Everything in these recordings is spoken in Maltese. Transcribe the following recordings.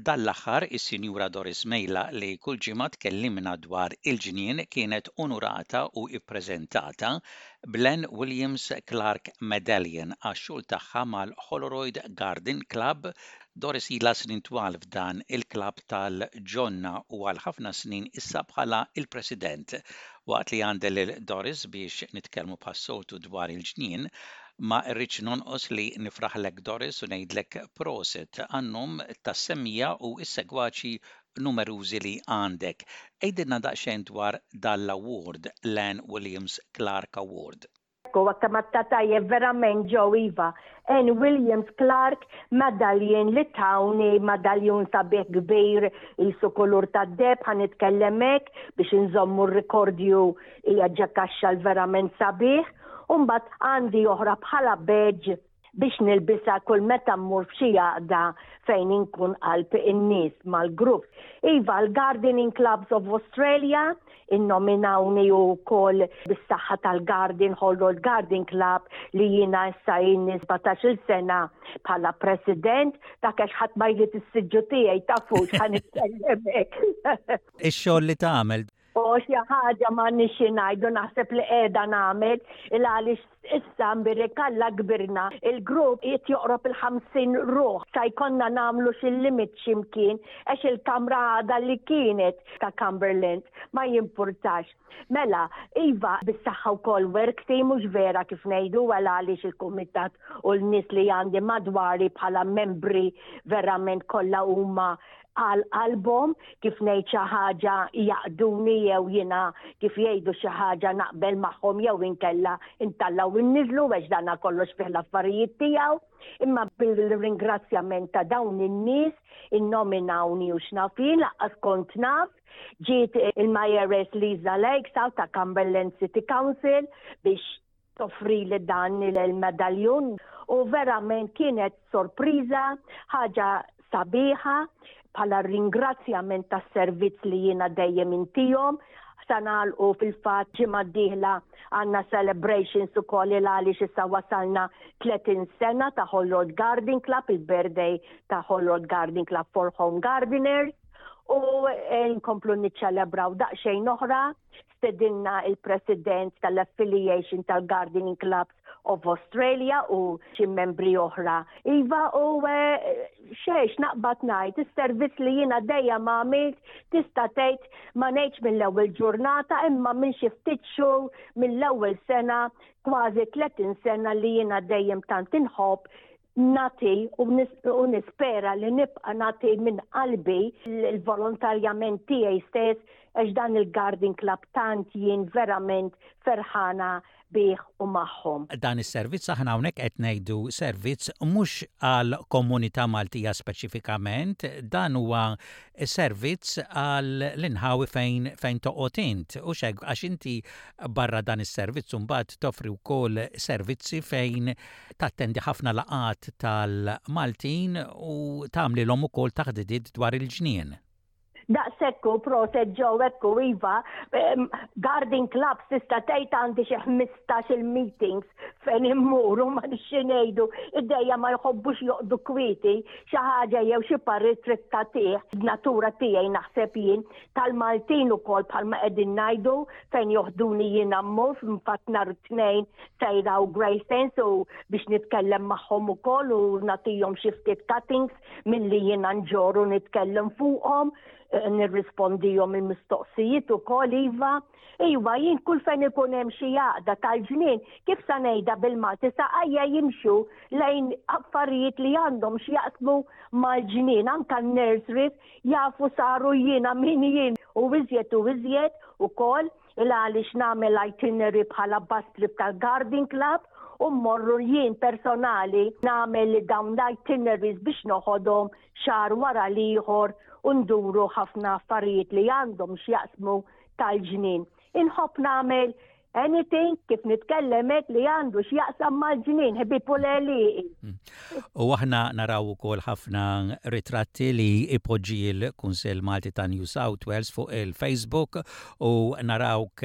Dan l-aħħar is-Sinjura Doris Mejla li kull ġimgħa tkellimna dwar il-ġnien kienet unurata u ippreżentata bl-Anne Williams Clark Medallion għax-xogħol tagħha mal-Holroyd Garden Club. Doris ilha snin twal f'dan il-klabb tal-ġonna u għal ħafna snin issa bħala l-President. Waqt li għandi lil Doris biex nitkellmu bħas-soltu dwar il-ġnien, ma rridx nonqos li nifraħlek Doris u ngħidlek prosit għan-nom tas-semmiegħa u s-segwaċi numerużi li għandek. Għidilna daqsxejn dwar dan l-award, l-Anne Williams Clark Award. Ekku, għatta tajjeb verament Joe iva. Anne Williams Clark medallion li tawni madaljun sabiħ kbir qisu kulur tad-deheb ħa nitkellem hekk biex inżommu r-rikordju hija ġa kaxxa l-verament sabiħ. U mbagħad għandi oħra bħala badge biex nilbisha kull meta mmur f'xi għaqda fejn inkun qalb in-nies mal-grupp. Iva, l-Gardening Clubs of Australia innominawni wkoll bis-saħħa tal-Garden Holroyd Garden Club li jiena issa ilni 17-il sena bħala president, dak għax ħadd ma jrid is-siġġu tiegħi tafux ħa nitkellem hekk. Ix-xogħol li tagħmel. U xi ħaġa m'għandniex xi ngħidu naħseb li qiegħda nagħmel il għaliex issa mbirek Alla kbirna il-grupp qiegħed joqrob il-50 ruħ sa jkollna nagħmlu xi limit x'imkien għax il-kamra għadha li kienet ta' Cumberland ma jimpurtax. Mela, iva bis-saħħa wkoll work team mhux vera kif ngħidu għal għaliex il-kumitat u l-nies li għandi madwari bħala membri verament kollha huma għal qalbhom kif ngħid xi ħaġa jaqduni jew jiena kif jgħidu xi ħaġa naqbel magħhom jew inkella intallgħu inniżlu għax dana kollox fih l-affarijiet tiegħu. Imma bil-ringrazzjament ta' dawn in-nies innominawni u x'naf jien laqqas kont naf ġiet il-Mayoress Lisa Lakes ta' Cumberland City Council biex toffrili dan il-medaljun u verament kienet sorpriża, ħaġa sabiħa bħala ringrazzjament tas-servizz li jiena dejjem intihom. Sa nagħlqu fil-fatt ġimgħa d-dieħla għandna celebrations ukoll il għaliex issa wasalna 30 sena ta' Holroyd Garden Club, il-birthday ta' Holroyd Garden Club for Home Gardeners u eh, nkomplu niċċelebraw daqsxejn oħra Stedinna il-President tal-Affiliation tal-Gardening Clubs of Australia u xi membri oħra. Iva u eh, xejx naqbad ngħid, is-servizz li jiena dejjem għamilt tista' tgħid ma ngħidx mill-ewwel ġurnata imma minn xi ftit xhur mill-ewwel sena kważi 30 sena li jiena dejjem tant inħobb nagħti u nispera li nibqa' nagħti minn qalbi l-volontarjament tiegħi stess għax dan il-Garden Club tant jien verament ferħana bih u magħhom. Dan is-servizz aħna hawnhekk qed ngħidu servizz mhux għall-komunità Maltija speċifikament, dan huwa servizz għall-inħawi fejn fejn toqgħod int, hux hekk? Għax inti barra dan is-servizz imbagħad toffri wkoll servizzi fejn tattendi ħafna laqgħat tal-Maltin u tagħmlilhom ukoll taħdidiet dwar il-ġnien. Daqshekk hu, proset Joe, hekk hu iva. Garden Clubs tista' tgħid għandi xi 15 il-meetings fejn immur u ma nixxi ngħidu idejja ma jħobbux joqdu kwieti xi ħaġa jew xi parir trid tagħtih. Natura tiegħi naħseb jien tal-Maltin ukoll bħalma qegħdin ngħidu fejn joħduni jiena mmur f'fatt nhar it-Tnejn sejra u Greystanes u biex nitkellem magħhom ukoll u nagħtihom xi ftit cuttings milli jiena nġorr u nitkellem fuqhom, eh, nirrispondihom il-mistoqsijiet ukoll iva. Iva, jien kull fejn ikun hemm xi għaqda tal-ġnien, kif sa ngħidha bil-Malti, saqajja jimxu lejn affarijiet li għandhom x'jaqsmu mal-ġnien, anka n-nurseries jafu saru jiena min jien u iżjed u iżjed ukoll il għaliex nagħmel itinerary bħala bus trip tal-Garden Club u mmorru jien personali nagħmel dawn l-itineraries biex noħodhom xahar wara l-ieħor u nduru ħafna affarijiet li għandhom x'jaqsmu tal-ġnien. Inħobb nagħmel. Anything kif nitkellem hekk li għandu x'jaqsam mal-ġnien, ħbieb u l-għelieqi. U aħna naraw ukoll ħafna ritratti li ipoġġi l-Kunsill Malti ta' New South Wales fuq il-Facebook u narawk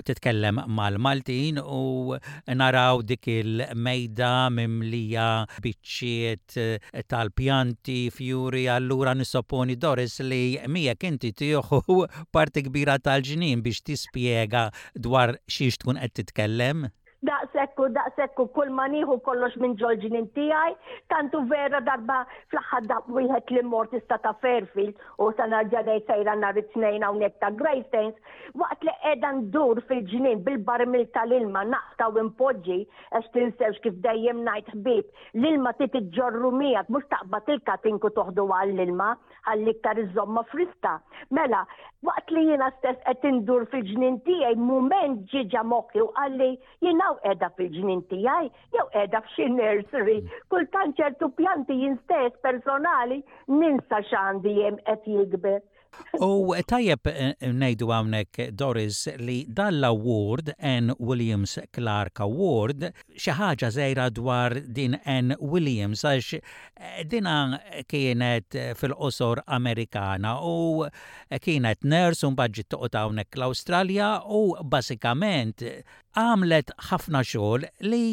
titkellem mal-Maltin u naraw dik il-mejda mimlija biċċiet tal-pjanti, fjuri, allura nissopponi Doris li miegħek inti tieħu parti kbira tal-ġnien biex tispjega dwar xiex tkun qed titkellem? Daqshekk u daqshekk u kull ma nieħu kollox minn ġol-ġnien tiegħi, tant hu vera darba fl-aħħar daqq wieħed li mort issa ta' Fairfield u sa nerġa' ngħid sejra nhar it-Tnejn hawnhekk ta' Greystanes, waqt li qiegħda ndur fil-ġnien bil-barmil tal-ilma naqta' u npoġġi, għax tinsewx kif dejjem ngħid ħbieb, l-ilma trid iġġorru miegħek mhux taqbad il-katink u toħdu għall-ilma, ħalli iktar iżżommha friska. Mela, waqt li jiena stess qed indur fil-ġnien tiegħi, mument ġie ġa moħħi u qalli jien hawn qiegħda fil-ġnien tiegħi jew qiegħda f'xi nursery. Kultant ċertu pjanti jien stess personali ninsa x'għandi hemm qed jikber. U tajjeb ngħidu hawnhekk Doris li dan l-award, Anne Williams Clark Award, xi ħaġa żgħira dwar din Anne Williams għax dina kienet fil-qosor Amerikana u kienet nurse u mbagħad ġiet toqgħod hawnhekk l-Awstralja u bażikament għamlet ħafna xogħol li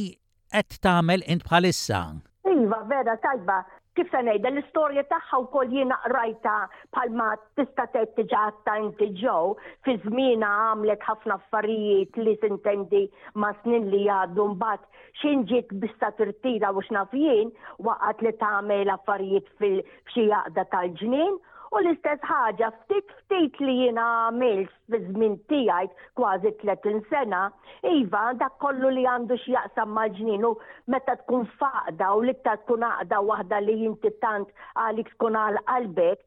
qed tagħmel int bħalissa. Iva, vera tajba. Kif se ngħidha, l-istorja tagħha wkoll jiena qrajtha bħalma tista' tgħid diġà għadtha inti Joe, fi żmienha għamlet ħafna affarijiet li tintendi ma' snin li jgħaddu mbagħad x'ħin ġiet biex sa tirtira u x'naf jien, waqgħet li tagħmel affarijiet f'xi għaqda tal-ġnien u l-istess ħaġa ftit ftit li jiena għamilt fiż-żmien tiegħi kważi 30 sena, iva, dak kollu li għandu x'jaqsam mal-ġnien u meta tkun f'għaqda u l-iktar tkun għaqda waħda li inti tant għalik tkun għal qalbek,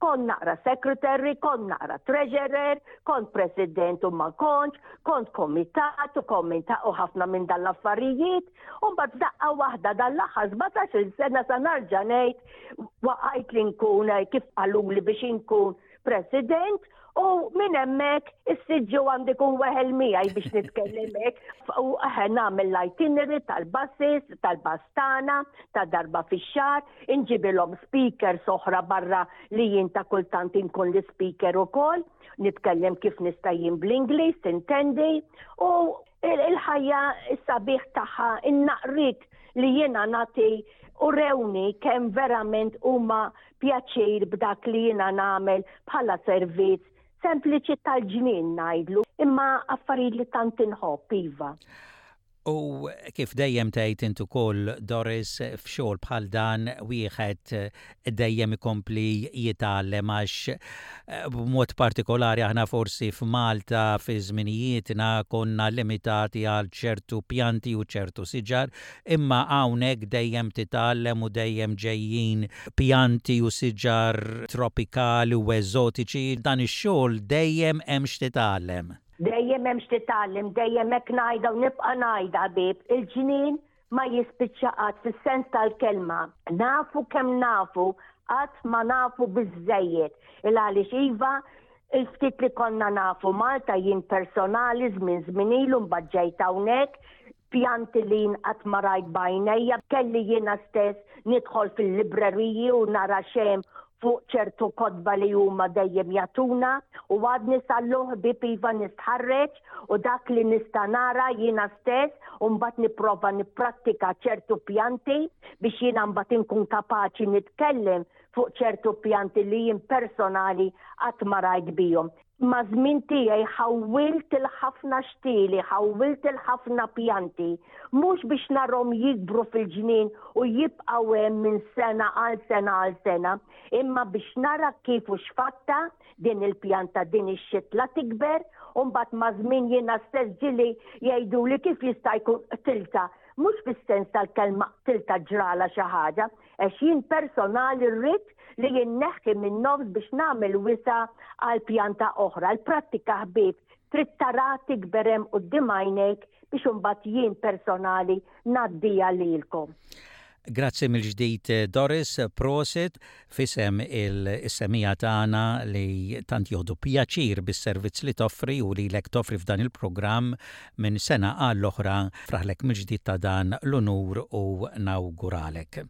kont naqra secretary, kont naqra treasurer, kont president u ma kontx, kont komitat u komita u ħafna minn dan l-affarijiet, u mbagħad f'daqqa waħda dan l-aħħar 17-il sena sa narġa' ngħid waqajt li nkun kif qaluli biex inkun President u minn hemmhekk is-siġġu għandi kun weħel miegħi biex nitkellem hekk u eħe nagħmel l-itinerary tal-buses, tal-bastana, ta' darba fix-xahar, inġibilhom speakers oħra barra li jien ta' kultant inkun l-ispeaker ukoll, nitkellem kif nista' jien bl-Ingliż, tintendi, u il-ħajja s-sabiħ tagħha, in-naqriet li jiena nagħti u rewni kemm verament huma pjaċir b'dak li jiena nagħmel bħala servizz sempliċi tal-ġnien ngħidlu, imma affarijiet li tant inħobb, iva. U kif dejjem tgħid int ukoll Doris, f'xogħol bħal dan wieħed dejjem ikompli jitgħallem għax b'mod partikolari aħna forsi f'Malta fi żminijietna konna limitati għal ċertu pjanti u ċertu siġar Imma hawnhekk dejjem titgħallem u dejjem ġejjin pjanti u siġar tropikali u eżotiċi, dan ix-xogħol dejjem hemm x'titgħallem. Dejjem hemm x'titgħallem, dejjem hekk ngħidha u nibqa' ngħidha ħbieb, il-ġnien ma jispiċċa qatt fis-sens tal-kelma. Nafu kemm nafu, qatt ma nafu biżżejjed. Il għaliex iva, il-ftit li konna nafu Malta jien personali żmien żmien ilu mbagħad ġejt hawnhekk, pjanti li jien qatt ma rajt b'għajnejja, kelli jiena stess nidħol fil-libreriji u nara x'hemm fuq ċertu kotba li huma dejjem jagħtuna u għadni sal-lum ħbieb iva nistħarreġ u dak li nista' nara jiena stess u mbagħad nipprova nipprattika ċertu pjanti biex jiena mbagħad inkun kapaċi nitkellem fuq ċertu pjanti li jien personali qatt ma rajt bihom. Maż-żmien tiegħi ħawwilt il-ħafna xtieli, ħawwilt il-ħafna pjanti, mhux biex narhom jikbru fil-ġnien u jibqgħu hemm minn sena għal sena għal sena, imma biex nara kif u x'fatta din il-pjanta, din ix-xitla tikber, u mbagħad maż-żmien jiena stess ġieli jgħiduli kif jista' jkun qtiltha, mhux fis-sens tal-kelma qtiltha ġralha xi ħaġa, Għax jien personali rrid li jinneħħi minn nofs biex nagħmel wisa' għal pjanta oħra. Il-prattika ħbieb trid tara tikber hemm quddiem għajnejk biex imbagħad jien personali ngħaddiha lilkom. Grazzi mill-ġdid Doris, prosit f'isem is-semmiegħa tagħna li tant jieħdu pjaċir bis-servizz li toffri u lilek toffri f'dan il-programm minn sena għall-oħra. Nifraħlek mill-ġdid ta' dan l-unur u nawguralek.